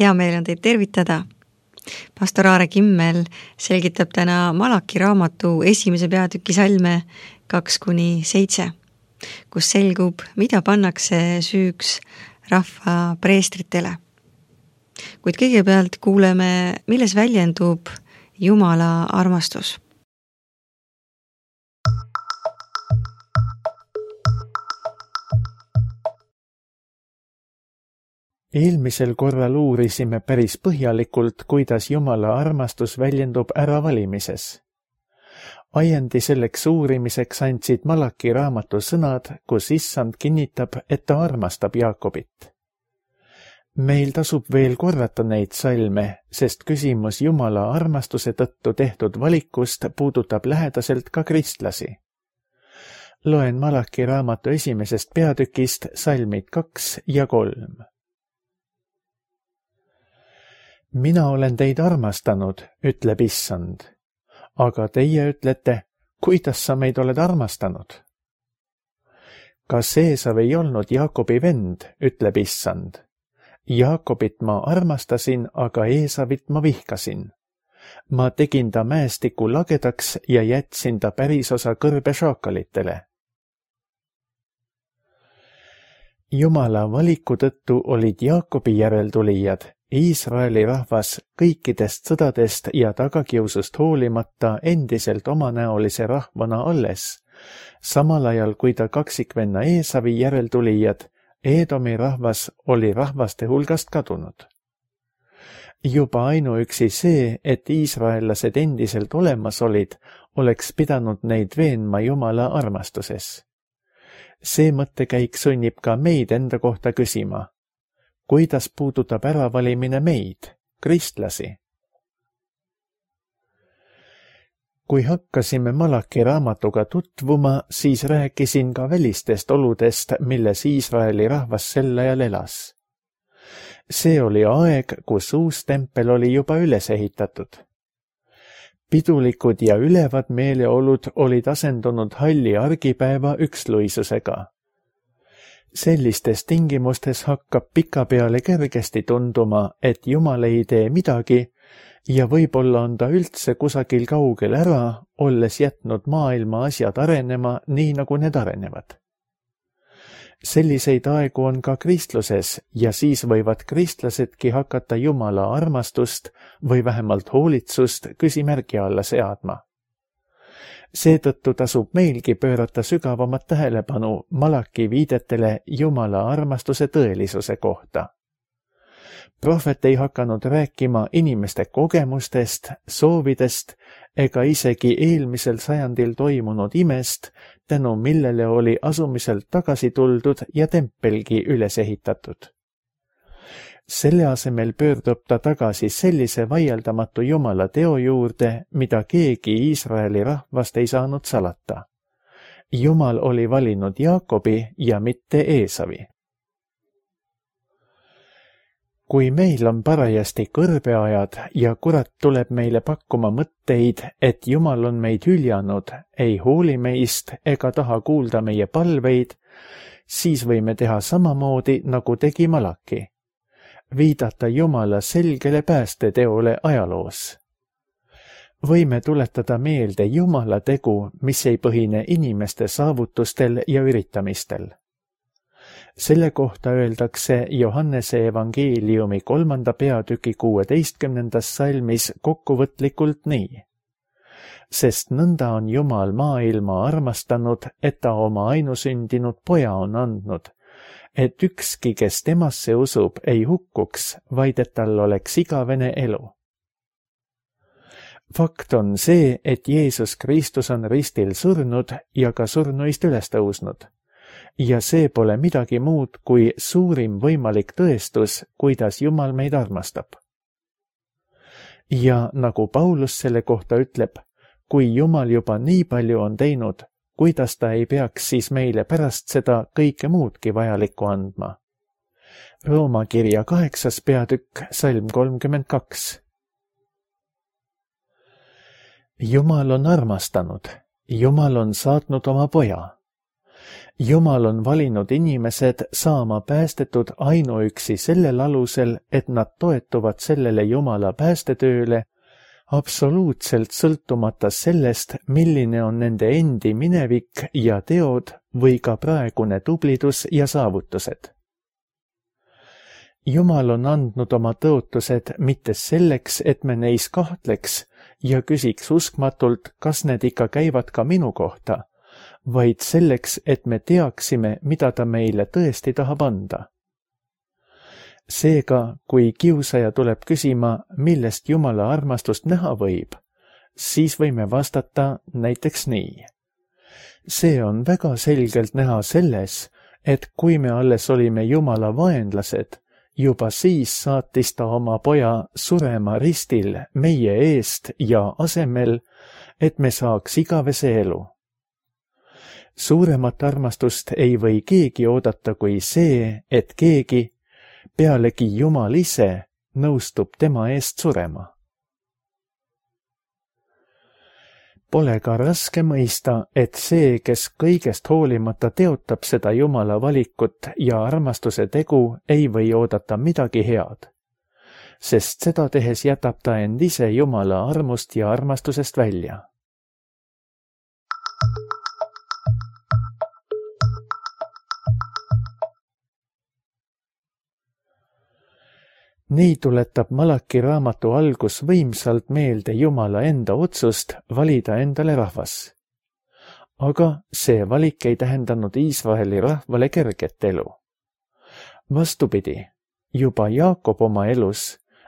Hea meel on teid tervitada. Pastor Aare Kimmel selgitab täna Malaki raamatu 1. peatüki salme 2-7, kus selgub, mida pannakse süüks rahva preestritele. Kuid kõigepealt kuuleme, milles väljendub Jumala armastus. Eelmisel korral uurisime päris põhjalikult, kuidas Jumala armastus väljendub äravalimises. Ajendi selleks uurimiseks andsid Malaki raamatu sõnad, kus Issand kinnitab, et ta armastab Jaakobit. Meil tasub veel korrata neid salme, sest küsimus Jumala armastuse tõttu tehtud valikust puudutab lähedaselt ka kristlasi. Loen Malaki raamatu 1. peatükist salmid 2 ja 3. Mina olen teid armastanud, ütleb Issand. Aga teie ütlete, kuidas sa meid oled armastanud? Kas Eesav ei olnud Jaakobi vend, ütleb Issand. Jaakobit ma armastasin, aga Eesavit ma vihkasin. Ma tegin ta mäestiku lagedaks ja jätsin ta pärisosa kõrbe šaakalitele. Jumala valiku tõttu olid Jaakobi järeltulijad, Iisraeli rahvas kõikidest sõdadest ja tagakiusust hoolimata endiselt omanäolise rahvana alles, samal ajal kui ta kaksikvenna Eesavi järeltulijad, Eedomi rahvas oli rahvaste hulgast kadunud. Juba ainuüksi see, et iisraellased endiselt olemas olid, oleks pidanud neid veenma Jumala armastuses. See mõttekäik sunnib ka meid enda kohta küsima. Kuidas puudutab äravalimine meid, kristlasi? Kui hakkasime Malaki raamatuga tutvuma, siis rääkisin ka välistest oludest, milles Iisraeli rahvas sel ajal elas. See oli aeg, kus uus tempel oli juba üles ehitatud. Pidulikud ja ülevad meeleolud olid asendunud halli argipäeva üksluisusega. Sellistes tingimustes hakkab pikapeale kergesti tunduma, et Jumal ei tee midagi ja võib-olla on ta üldse kusagil kaugel ära, olles jätnud maailma asjad arenema nii, nagu need arenevad. Selliseid aegu on ka kristluses ja siis võivad kristlasedki hakata Jumala armastust või vähemalt hoolitsust küsimärgi alla seadma. Seetõttu tasub meilgi pöörata sügavamat tähelepanu Malaki viidetele Jumala armastuse tõelisuse kohta. Prohvet ei hakanud rääkima inimeste kogemustest, soovidest ega isegi eelmisel sajandil toimunud imest, tänu millele oli asumiselt tagasi tuldud ja tempelgi üles ehitatud. Selle asemel pöördub ta tagasi sellise vaieldamatu Jumala teo juurde, mida keegi Iisraeli rahvast ei saanud salata. Jumal oli valinud Jaakobi ja mitte Eesavi. Kui meil on parajasti kõrbeajad ja kurat tuleb meile pakkuma mõtteid, et Jumal on meid hüljanud, ei hooli meist ega taha kuulda meie palveid, siis võime teha samamoodi, nagu tegi Malaki. Viidata Jumala selgele päästeteole ajaloos. Võime tuletada meelde Jumala tegu, mis ei põhine inimeste saavutustel ja üritamistel. Selle kohta öeldakse Johannese evangeeliumi 3. peatüki 16. salmis kokkuvõtlikult nii. Sest nõnda on Jumal maailma armastanud, et ta oma ainusündinud poja on andnud, et ükski, kes temasse usub, ei hukkuks, vaid et tal oleks igavene elu. Fakt on see, et Jeesus Kristus on ristil surnud ja ka surnuist üles tõusnud. Ja see pole midagi muud kui suurim võimalik tõestus, kuidas Jumal meid armastab. Ja nagu Paulus selle kohta ütleb, kui Jumal juba nii palju on teinud, kuidas ta ei peaks siis meile pärast seda kõike muudki vajalikku andma. Rooma kirja 8. peatükk, salm 32. Jumal on armastanud, Jumal on saatnud oma poja. Jumal on valinud inimesed saama päästetud ainuüksi sellel alusel, et nad toetuvad sellele Jumala päästetööle, absoluutselt sõltumata sellest, milline on nende endi minevik ja teod või ka praegune tublidus ja saavutused. Jumal on andnud oma tõotused mitte selleks, et me neis kahtleks ja küsiks uskmatult, kas need ikka käivad ka minu kohta, vaid selleks, et me teaksime, mida ta meile tõesti tahab anda. Seega, kui kiusaja tuleb küsima, millest Jumala armastust näha võib, siis võime vastata näiteks nii. See on väga selgelt näha selles, et kui me alles olime Jumala vaenlased, juba siis saatis ta oma poja surema ristil meie eest ja asemel, et me saaks igavese elu. Suuremat armastust ei või keegi oodata kui see, et keegi, pealegi Jumal ise, nõustub tema eest surema. Pole ka raske mõista, et see, kes kõigest hoolimata teotab seda Jumala valikut ja armastuse tegu, ei või oodata midagi head, sest seda tehes jätab ta end ise Jumala armust ja armastusest välja. Nii tuletab Malaki raamatu algus võimsalt meelde Jumala enda otsust valida endale rahvas. Aga see valik ei tähendanud Iisraeli rahvale kerget elu. Vastupidi, juba Jaakob oma elus,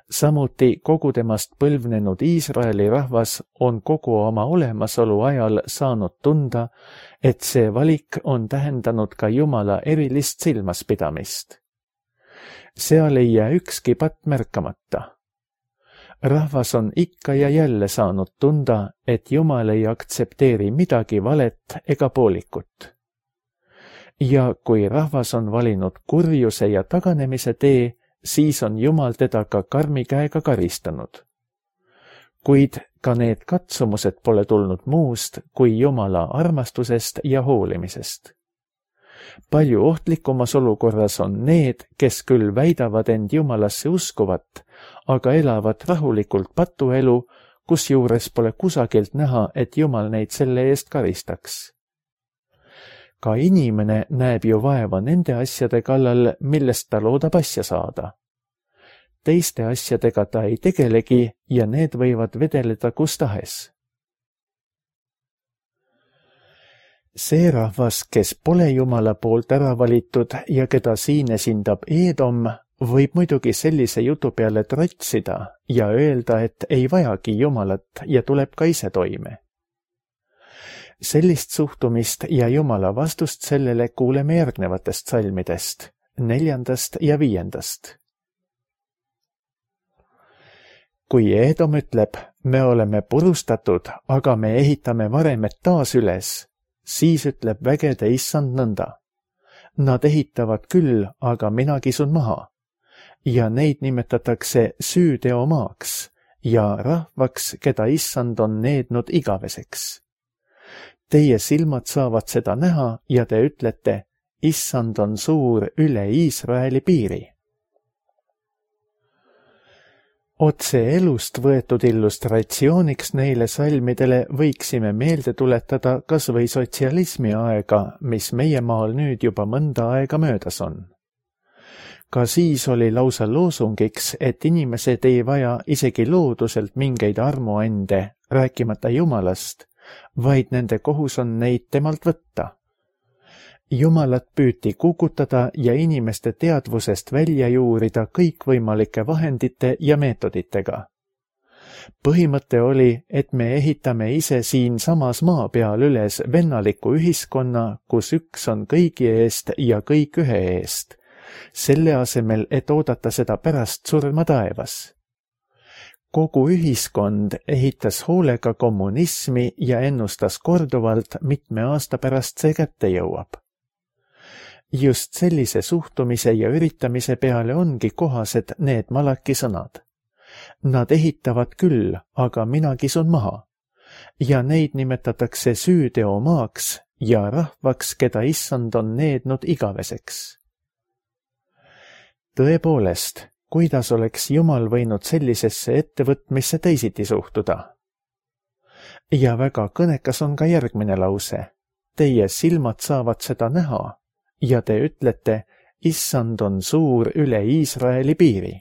samuti kogu temast põlvnenud Iisraeli rahvas on kogu oma olemasolu ajal saanud tunda, et see valik on tähendanud ka Jumala erilist silmaspidamist. Seal ei jää ükski patt märkamata. Rahvas on ikka ja jälle saanud tunda, et Jumal ei aktsepteeri midagi valet ega poolikut. Ja kui rahvas on valinud kurjuse ja taganemise tee, siis on Jumal teda ka karmi käega karistanud. Kuid ka need katsumused pole tulnud muust kui Jumala armastusest ja hoolimisest. Palju ohtlikumas olukorras on need, kes küll väidavad end Jumalasse uskuvat, aga elavad rahulikult patuelu, kusjuures pole kusagilt näha, et Jumal neid selle eest karistaks. Ka inimene näeb ju vaeva nende asjade kallal, millest ta loodab asja saada. Teiste asjadega ta ei tegelegi ja need võivad vedeleda kus tahes. See rahvas, kes pole Jumala poolt ära valitud ja keda siin esindab Eedom, võib muidugi sellise jutu peale trotsida ja öelda, et ei vajagi Jumalat ja tuleb ka ise toime. Sellist suhtumist ja Jumala vastust sellele kuuleme järgnevatest salmidest, 4. ja 5. Kui Eedom ütleb, me oleme purustatud, aga me ehitame varemed taas üles, siis ütleb vägede issand nõnda. Nad ehitavad küll, aga mina kisun maha. Ja neid nimetatakse süüteomaaks ja rahvaks, keda issand on neednud igaveseks. Teie silmad saavad seda näha ja te ütlete, issand on suur üle Iisraeli piiri. Otse elust võetud illustratsiooniks neile salmidele võiksime meelde tuletada kas või sotsialismi aega, mis meie maal nüüd juba mõnda aega möödas on. Ka siis oli lausa loosungiks, et inimesed ei vaja isegi looduselt mingeid armuande, rääkimata Jumalast, vaid nende kohus on neid temalt võtta. Jumalat püüti kukutada ja inimeste teadvusest välja juurida kõikvõimalike vahendite ja meetoditega. Põhimõte oli, et me ehitame ise siin samas maa peal üles vennaliku ühiskonna, kus üks on kõigi eest ja kõik ühe eest, selle asemel, et oodata seda pärast surma taevas. Kogu ühiskond ehitas hoolega kommunismi ja ennustas korduvalt, mitme aasta pärast see kätte jõuab. Just sellise suhtumise ja üritamise peale ongi kohased need Malaki sõnad. Nad ehitavad küll, aga mina kisun maha. Ja neid nimetatakse süüteomaaks ja rahvaks, keda issand on neednud igaveseks. Tõepoolest, kuidas oleks Jumal võinud sellisesse ettevõtmisse teisiti suhtuda? Ja väga kõnekas on ka järgmine lause. Teie silmad saavad seda näha ja te ütlete, issand on suur üle Iisraeli piiri.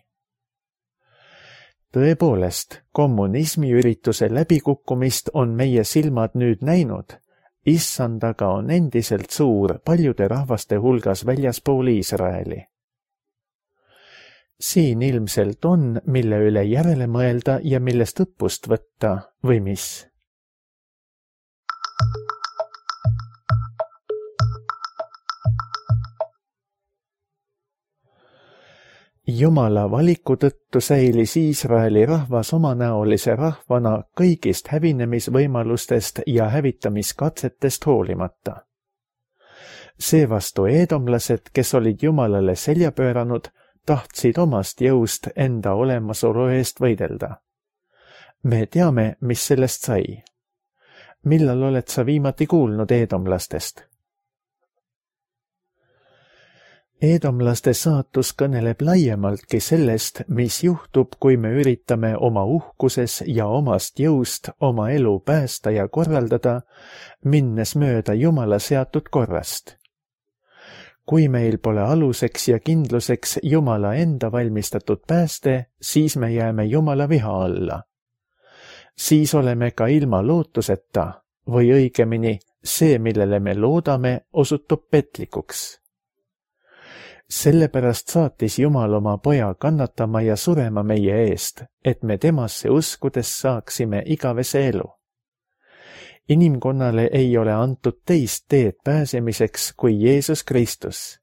Tõepoolest, kommunismi ürituse läbikukkumist on meie silmad nüüd näinud. Issand aga on endiselt suur paljude rahvaste hulgas väljaspool Iisraeli. Siin ilmselt on, mille üle järele mõelda ja millest õppust võtta, või mis? Jumala valiku tõttu säilis Iisraeli rahvas omanäolise rahvana kõigist hävinemisvõimalustest ja hävitamiskatsetest hoolimata. Seevastu eedomlased, kes olid Jumalale selja pööranud, tahtsid omast jõust enda olemasolu eest võidelda. Me teame, mis sellest sai. Millal oled sa viimati kuulnud eedomlastest? Eedomlaste saatus kõneleb laiemaltki sellest, mis juhtub, kui me üritame oma uhkuses ja omast jõust oma elu päästa ja korraldada, minnes mööda Jumala seatud korrast. Kui meil pole aluseks ja kindluseks Jumala enda valmistatud pääste, siis me jääme Jumala viha alla. Siis oleme ka ilma lootuseta, või õigemini see, millele me loodame, osutub petlikuks. Sellepärast saatis Jumal oma poja kannatama ja surema meie eest, et me temasse uskudes saaksime igavese elu. Inimkonnale ei ole antud teist teed pääsemiseks kui Jeesus Kristus.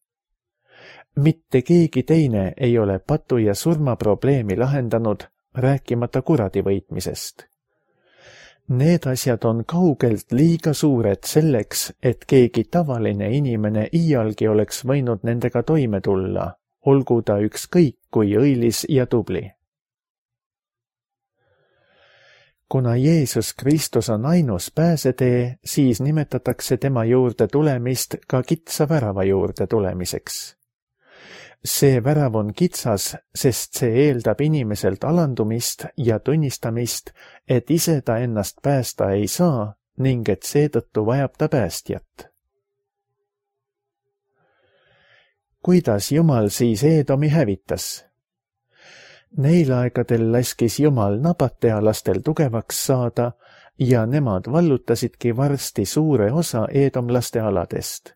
Mitte keegi teine ei ole patu ja surma probleemi lahendanud, rääkimata kuradi võitmisest. Need asjad on kaugelt liiga suured selleks, et keegi tavaline inimene iialgi oleks võinud nendega toime tulla, olgu ta ükskõik kui õilis ja tubli. Kuna Jeesus Kristus on ainus pääsetee, siis nimetatakse tema juurde tulemist ka kitsa värava juurde tulemiseks. See värav on kitsas, sest see eeldab inimeselt alandumist ja tunnistamist, et ise ta ennast päästa ei saa ning et seetõttu vajab ta päästjat. Kuidas Jumal siis Eedomi hävitas? Neil aegadel laskis Jumal nabatealastel tugevaks saada ja nemad vallutasidki varsti suure osa eedomlaste aladest.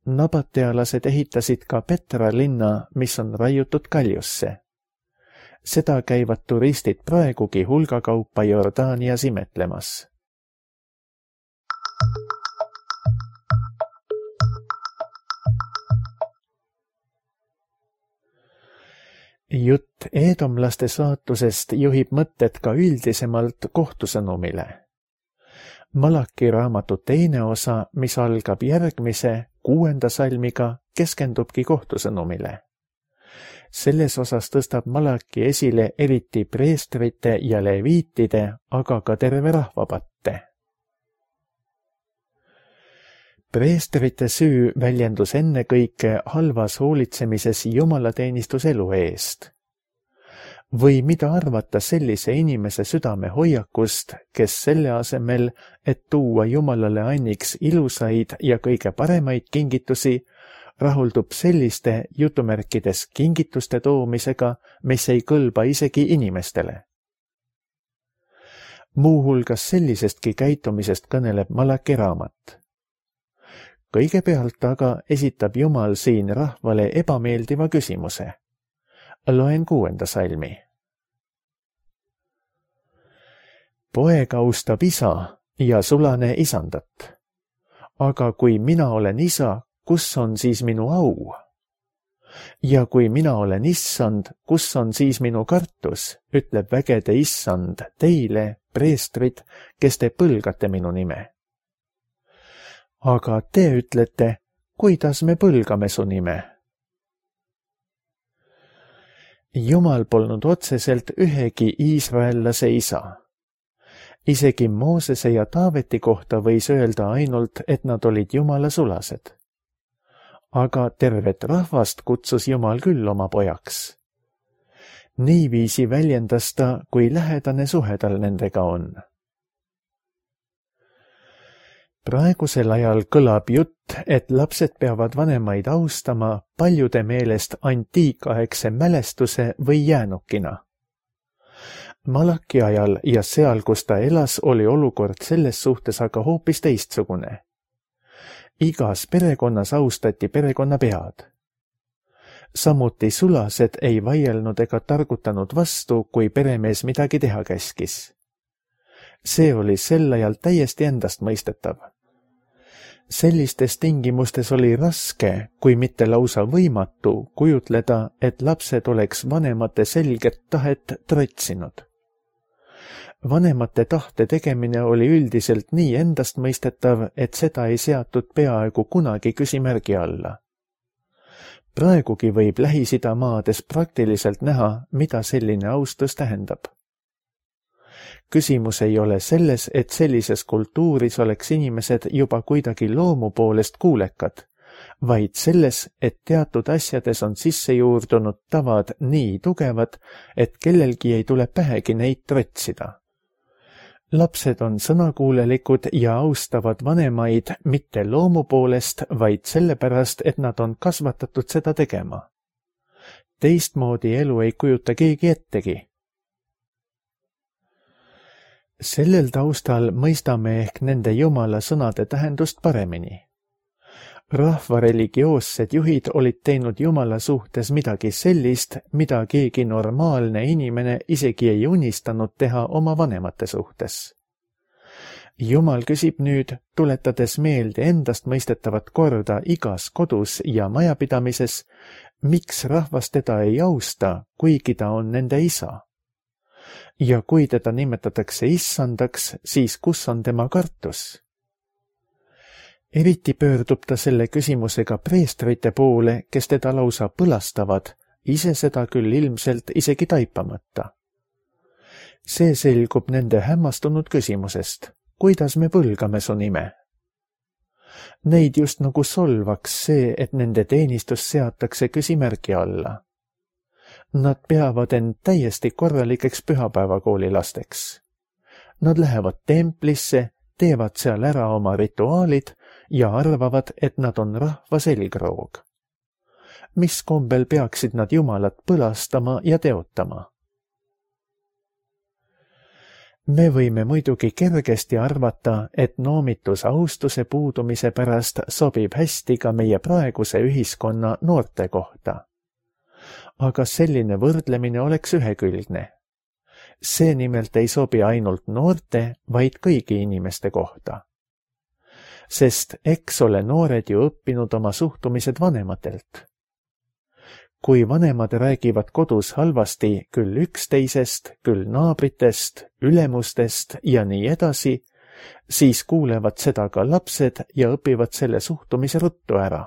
Nabatealased ehitasid ka Petra linna, mis on raiutud kaljusse. Seda käivad turistid praegugi hulgakaupa Jordaanias imetlemas. Jutt eedomlaste saatusest juhib mõtted ka üldisemalt kohtusõnumile. Malaki raamatu teine osa, mis algab järgmise 6. salmiga, keskendubki kohtusõnumile. Selles osas tõstab Malaki esile eriti preestrite ja leviitide, aga ka terve rahva patte. Preestrite süü väljendus ennekõike halvas hoolitsemises jumalateenistuselu eest. Või mida arvata sellise inimese südame hoiakust, kes selle asemel, et tuua Jumalale anniks ilusaid ja kõige paremaid kingitusi, rahuldub selliste jutumärkides kingituste toomisega, mis ei kõlba isegi inimestele. Muuhulgas sellisestki käitumisest kõneleb Malaki raamat. Kõigepealt aga esitab Jumal siin rahvale ebameeldiva küsimuse. Loen 6. salmi. Poeg austab isa ja sulane isandat. Aga kui mina olen isa, kus on siis minu au? Ja kui mina olen issand, kus on siis minu kartus, ütleb vägede issand teile, preestrid, kes te põlgate minu nime. Aga te ütlete, kuidas me põlgame su nime? Jumal polnud otseselt ühegi iisraellase isa. Isegi Moosese ja Taaveti kohta võis öelda ainult, et nad olid Jumala sulased. Aga tervet rahvast kutsus Jumal küll oma pojaks. Niiviisi väljendas ta, kui lähedane suhe tal nendega on. Praegusel ajal kõlab jutt, et lapsed peavad vanemaid austama paljude meelest antiikaegse mälestuse või jäänukina. Malaki ajal ja seal, kus ta elas, oli olukord selles suhtes aga hoopis teistsugune. Igas perekonnas austati perekonna pead. Samuti sulased ei vaielnud ega targutanud vastu, kui peremees midagi teha käskis. See oli sel ajal täiesti endastmõistetav. Sellistes tingimustes oli raske, kui mitte lausa võimatu, kujutleda, et lapsed oleks vanemate selget tahet trotsinud. Vanemate tahte tegemine oli üldiselt nii endastmõistetav, et seda ei seatud peaaegu kunagi küsimärgi alla. Praegugi võib Lähis-Ida maades praktiliselt näha, mida selline austus tähendab. Küsimus ei ole selles, et sellises kultuuris oleks inimesed juba kuidagi loomu poolest kuulekad, vaid selles, et teatud asjades on sisse juurdunud tavad nii tugevad, et kellelgi ei tule pähegi neid trotsida. Lapsed on sõnakuulelikud ja austavad vanemaid mitte loomu poolest, vaid sellepärast, et nad on kasvatatud seda tegema. Teistmoodi elu ei kujuta keegi ettegi. Sellel taustal mõistame ehk nende Jumala sõnade tähendust paremini. Rahva religioossed juhid olid teinud Jumala suhtes midagi sellist, mida keegi normaalne inimene isegi ei unistanud teha oma vanemate suhtes. Jumal küsib nüüd, tuletades meelde endastmõistetavat korda igas kodus ja majapidamises, miks rahvas teda ei austa, kuigi ta on nende isa. Ja kui teda nimetatakse issandaks, siis kus on tema kartus? Eriti pöördub ta selle küsimusega preestrite poole, kes teda lausa põlastavad, ise seda küll ilmselt isegi taipamata. See selgub nende hämmastunud küsimusest, kuidas me põlgame su nime. Neid just nagu solvaks see, et nende teenistus seatakse küsimärgi alla. Nad peavad end täiesti korralikeks pühapäevakooli lasteks. Nad lähevad templisse, teevad seal ära oma rituaalid ja arvavad, et nad on rahva selgroog. Mis kombel peaksid nad Jumalat põlastama ja teotama? Me võime muidugi kergesti arvata, et noomitus austuse puudumise pärast sobib hästi ka meie praeguse ühiskonna noorte kohta. Aga selline võrdlemine oleks ühekülgne. See nimelt ei sobi ainult noorte, vaid kõigi inimeste kohta. Sest eks ole noored ju õppinud oma suhtumised vanematelt. Kui vanemad räägivad kodus halvasti küll üksteisest, küll naabritest, ülemustest ja nii edasi, siis kuulevad seda ka lapsed ja õpivad selle suhtumise ruttu ära.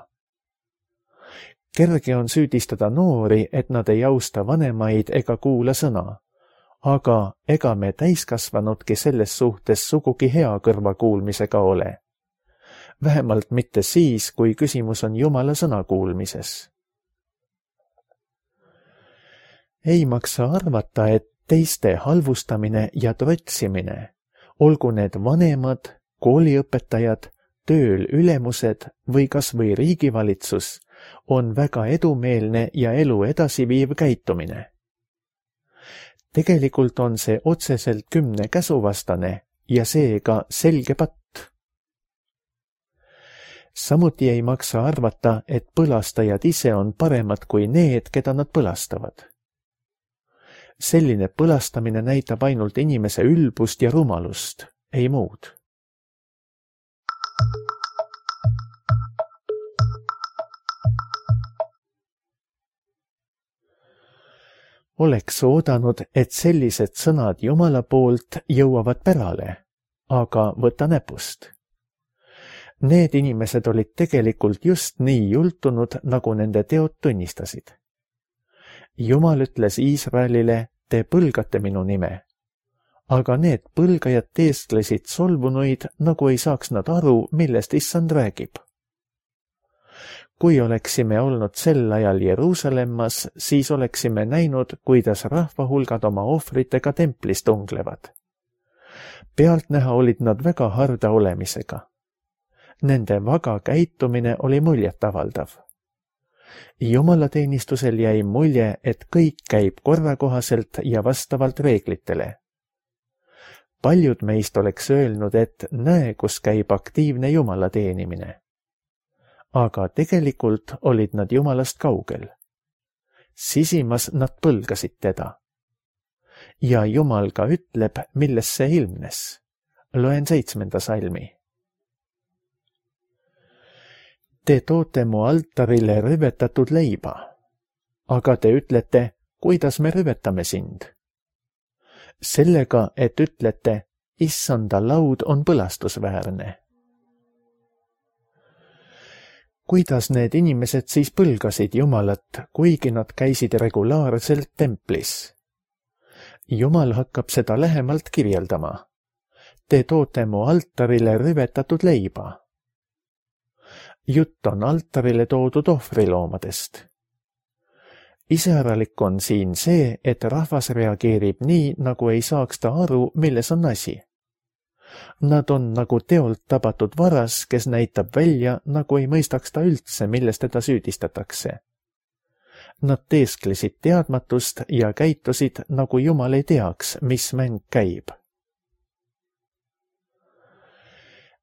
Kerge on süüdistada noori, et nad ei austa vanemaid ega kuula sõna. Aga ega me täiskasvanudki selles suhtes sugugi hea kõrvakuulmisega ole. Vähemalt mitte siis, kui küsimus on Jumala sõna kuulmises. Ei maksa arvata, et teiste halvustamine ja trotsimine, olgu need vanemad, kooliõpetajad, tööl ülemused või kas või riigivalitsus, on väga edumeelne ja elu edasiviiv käitumine. Tegelikult on see otseselt 10 käsu vastane ja seega selge patt. Samuti ei maksa arvata, et põlastajad ise on paremad kui need, keda nad põlastavad. Selline põlastamine näitab ainult inimese ülbust ja rumalust, ei muud. Oleks oodanud, et sellised sõnad Jumala poolt jõuavad pärale, aga võta näpust. Need inimesed olid tegelikult just nii jultunud, nagu nende teod tunnistasid. Jumal ütles Iisraelile, te põlgate minu nime. aga need põlgajad teesklesid solvunuid, nagu ei saaks nad aru, millest issand räägib. Kui oleksime olnud sel ajal Jeruusalemmas, siis oleksime näinud, kuidas rahvahulgad oma ohvritega templis tunglevad. Pealtnäha olid nad väga harda olemisega. Nende vaga käitumine oli muljetavaldav. Jumalateenistusel jäi mulje, et kõik käib korrakohaselt ja vastavalt reeglitele. Paljud meist oleks öelnud, et näe, kus käib aktiivne Jumala teenimine. Aga tegelikult olid nad Jumalast kaugel. Sisimas nad põlgasid teda. Ja Jumal ka ütleb, milles see ilmnes. Loen 7. salmi. Te toote mu altarile rüvetatud leiba, aga te ütlete, kuidas me rüvetame sind? Sellega, et ütlete, issanda laud on põlastusväärne. Kuidas need inimesed siis põlgasid Jumalat, kuigi nad käisid regulaarselt templis? Jumal hakkab seda lähemalt kirjeldama. Te toote mu altarile rüvetatud leiba. Jutt on altarile toodud ohvriloomadest. Iseäralik on siin see, et rahvas reageerib nii, nagu ei saaks ta aru, milles on asi. Nad on nagu teolt tabatud varas, kes näitab välja, nagu ei mõistaks ta üldse, milles teda süüdistatakse. Nad teesklesid teadmatust ja käitusid, nagu Jumal ei teaks, mis mäng käib.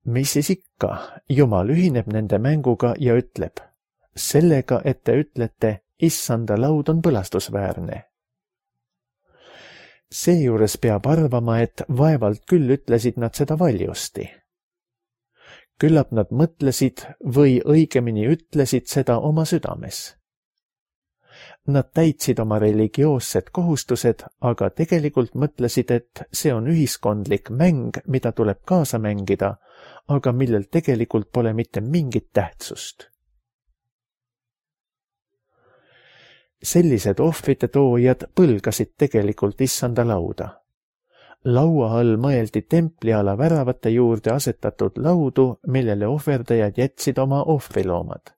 Mis siis ikka, Jumal ühineb nende mänguga ja ütleb, sellega, et te ütlete, issanda laud on põlastusväärne. Seejuures peab arvama, et vaevalt küll ütlesid nad seda valjusti. Küllap nad mõtlesid või õigemini ütlesid seda oma südames. Nad täitsid oma religioossed kohustused, aga tegelikult mõtlesid, et see on ühiskondlik mäng, mida tuleb kaasa mängida, aga millel tegelikult pole mitte mingit tähtsust. Sellised ohvrite toojad põlgasid tegelikult issanda lauda. Laua all mõeldi templiala väravate juurde asetatud laudu, millele ohverdajad jätsid oma ohvriloomad.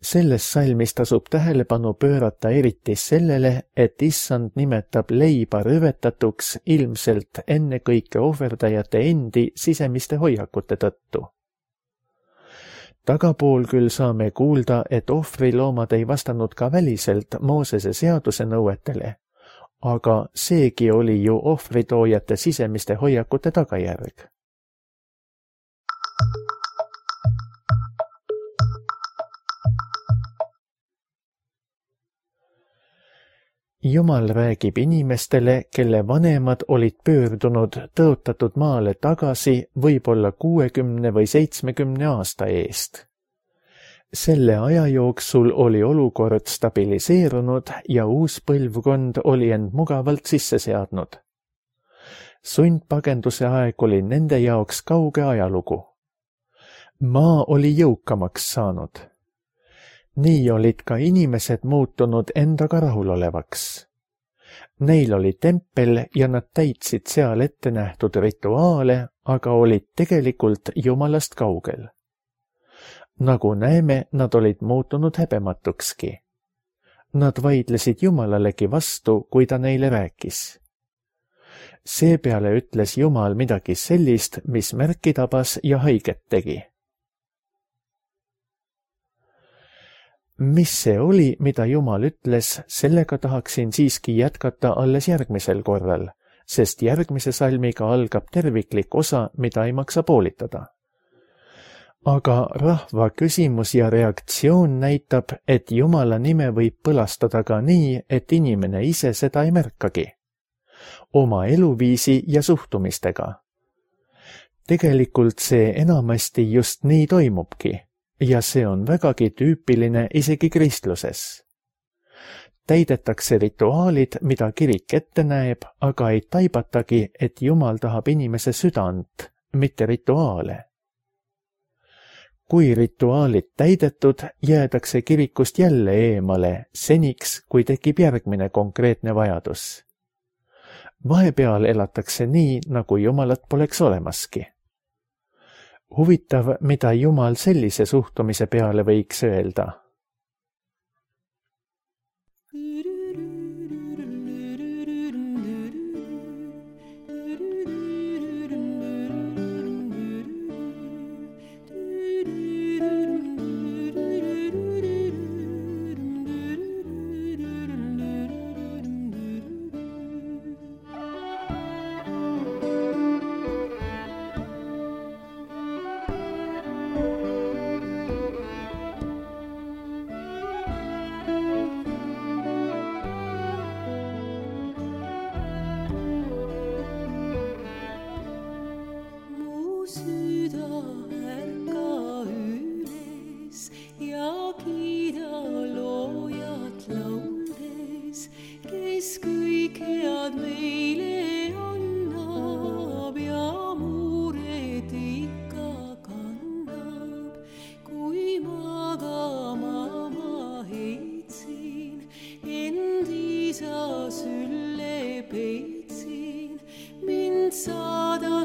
Selles salmis tasub tähelepanu pöörata eriti sellele, et issand nimetab leiba rüvetatuks ilmselt ennekõike ohverdajate endi sisemiste hoiakute tõttu. Tagapool küll saame kuulda, et ohvriloomad ei vastanud ka väliselt Moosese seaduse nõuetele, aga seegi oli ju ohvritoojate sisemiste hoiakute tagajärg. Jumal räägib inimestele, kelle vanemad olid pöördunud tõotatud maale tagasi võib-olla 60 või 70 aasta eest. Selle aja jooksul oli olukord stabiliseerunud ja uus põlvkond oli end mugavalt sisse seadnud. Sundpagenduse aeg oli nende jaoks kauge ajalugu. Maa oli jõukamaks saanud. Nii olid ka inimesed muutunud endaga rahulolevaks. Neil oli tempel ja nad täitsid seal ette nähtud rituaale, aga olid tegelikult Jumalast kaugel. Nagu näeme, nad olid muutunud häbematukski. Nad vaidlesid Jumalalegi vastu, kui ta neile rääkis. Seepeale ütles Jumal midagi sellist, mis märki tabas ja haiget tegi. Mis see oli, mida Jumal ütles, sellega tahaksin siiski jätkata alles järgmisel korral, sest järgmise salmiga algab terviklik osa, mida ei maksa poolitada. Aga rahva küsimus ja reaktsioon näitab, et Jumala nime võib põlastada ka nii, et inimene ise seda ei märkagi. Oma eluviisi ja suhtumistega. Tegelikult see enamasti just nii toimubki. Ja see on vägagi tüüpiline isegi kristluses. Täidetakse rituaalid, mida kirik ette näeb, aga ei taibatagi, et Jumal tahab inimese südant, mitte rituaale. Kui rituaalid täidetud, jäädakse kirikust jälle eemale, seniks, kui tekib järgmine konkreetne vajadus. Vahepeal elatakse nii, nagu Jumalat poleks olemaski. Huvitav, mida Jumal sellise suhtumise peale võiks öelda. Saada